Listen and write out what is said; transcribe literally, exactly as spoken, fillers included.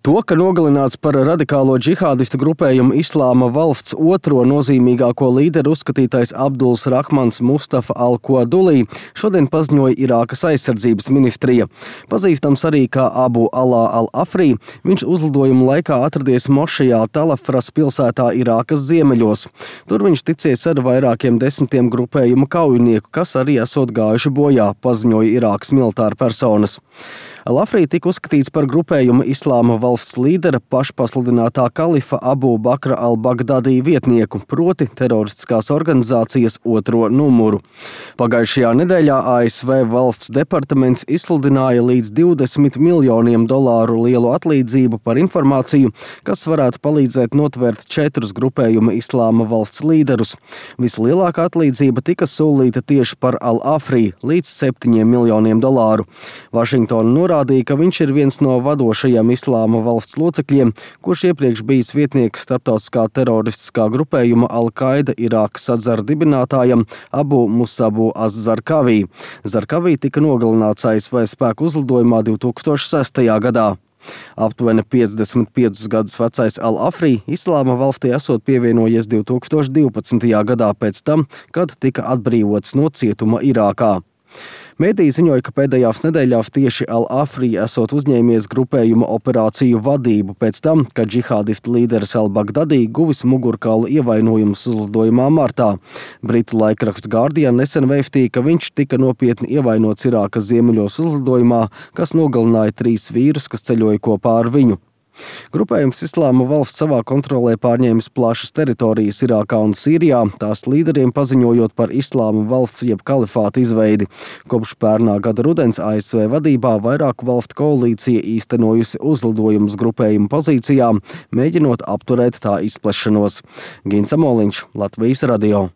To, ka nogalināts par radikālo džihādistu grupējumu Islāma valsts otro nozīmīgāko līderu uzskatītais Abduls Rahmans Mustafa al-Kodulī, šodien paziņoja Irākas aizsardzības ministrija. Pazīstams arī kā Abu Alā al-Afrī, viņš uzlidojuma laikā atradies mošajā Talafras pilsētā Irākas ziemeļos. Tur viņš ticies ar vairākiem desmitiem grupējumu kaujinieku, kas arī esot gājuši bojā, paziņoja Irākas militāra personas. Al-Afrī tika uzskatīts par grupējumu Islāma valsts līdera pašpasludinātā kalifa Abu Bakra al-Bagdadī vietnieku, proti teroristiskās organizācijas otro numuru. Pagājušajā nedēļā A S V valsts departaments izsludināja līdz divdesmit miljoniem dolāru lielu atlīdzību par informāciju, kas varētu palīdzēt notvērt četrus grupējuma Islāma valsts līderus. Vislielākā atlīdzība tika solīta tieši par Al-Afrī līdz septiņiem miljoniem dolāru. Vašingtona norādīja, ka viņš ir viens no vadošajiem Islāma valsts locekļiem, kurš iepriekš bijis vietnieks starptautiskā teroristiskā grupējuma Al-Qaida Irākas atzara dibinātājam Abu Musabu az-Zarkavī. Zarkavī tika nogalināts A S V spēku uzlidojumā divi tūkstoši sestajā gadā. Aptuveni piecdesmit piecus gadus vecais Al-Afrī Islāma valstī esot pievienojies divi tūkstoši divpadsmitajā gadā pēc tam, kad tika atbrīvots no cietuma Irākā. Mēdī ziņoja, ka pēdējās nedēļās tieši Al-Afrī esot uzņēmies grupējuma operāciju vadību pēc tam, kad džihādistu līderis al-Bagdadī guvis mugurkaula ievainojumus uzlidojumā martā. Britu laikraksts Guardian nesen vēstīja, ka viņš tika nopietni ievainots Irākas ziemeļos uzlidojumā, kas nogalināja trīs vīrus, kas ceļoja kopā ar viņu. Grupējums Islāma valsts savā kontrolē pārņēmis plašas teritorijas Irākā un Sīrijā, tās līderiem paziņojot par Islāma valsts jeb kalifāta izveidi. Kopš pērnā gada rudens A S V vadībā vairāku valstu koalīcija īstenojusi uzlidojumus grupējumu pozīcijām, mēģinot apturēt tā izplešanos. Gins Amoliņš, Latvijas radio.